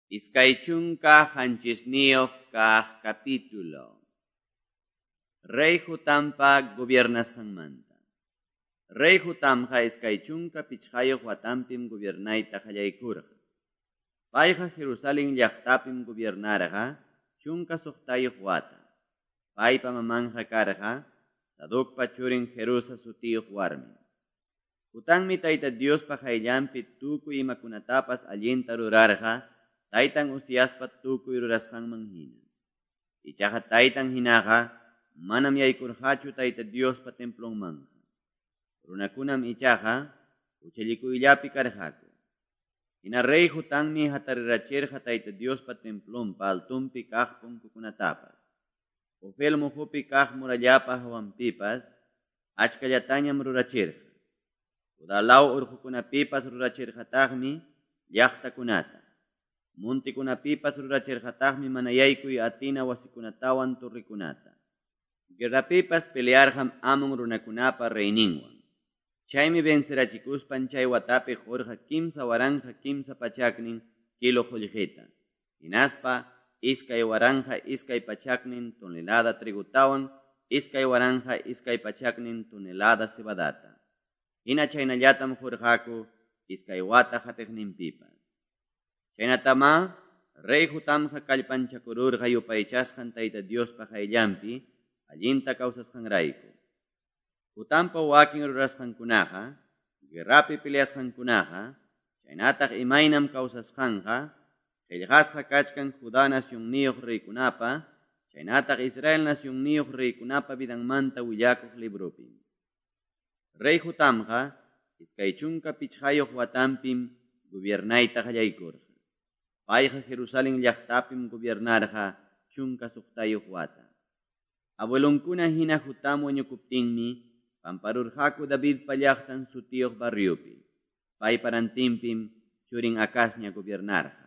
27 kaq capítulo. Rey Jotampa gobiernasqanmanta. Rey Jotamqa 25 watanpim gobiernayta qallaykurqa. Payqa Jerusalén llaqtapim gobiernarqa 16 wata. Paypa mamanqa karqa Sadocpa churin Jerusa sutiyuq warmi. Jotanmi Tayta Diospa qayllanpi tukuy imakunatapas allinta rurarqa, taytan Uziaspa tukuy rurasqanman hina. Ichaqa taytan hinaqa manam yaykurqachu Tayta Diospa templonmanqa. Runakunam ichaqa huchallikuyllapi karqaku. Hina rey Jotanmi hatarirachirqa Tayta Diospa templonpa altonpi kaq punkukunatapas. Ofel muhupi kaq murallapa hawanpipas achkallatañam rurachirqa. Judá law urqukunapipas rurachirqataqmi llaqtakunata. Montekunapipas rurachirqataqmi mana yaykuy atina wasikunatawan torrekunata. Guerrapipas pelearqam Amon runakunapa reyninwan. Chaymi vencerachikuspan chay watapi qurqa 3300 kilo qullqita. Hinaspa 2200 tonelada trigotawan 2200 tonelada cebadata. Hina chaynallatam qurqaku 2 wata qatiqninpipas. Chaynatama rey Jotamqa kallpanchakururqa yupaychasqan Tayta Diospa qayllanpi allinta kawsasqanrayku. Jotampa wakin rurasqankunaqa, guerrapi peleasqankunaqa, chaynataq imaynam kawsasqanqa, qillqasqa kachkan Judá nacionniyuq reykunapa, chaynataq Israel nacionniyuq reykunapa vidanmanta willakuq libropi. Rey Jotamqa 25 watanpim gobiernayta qallaykurqa. Payqa Jerusalén llaqtapim gobiernarqa 16 wata. Abuelonkuna hina Jotam wañukuptinmi pamparurqaku Davidpa llaqtan sutiyuq barriopi. Paypa rantinpim churin Acazña gobiernarqa.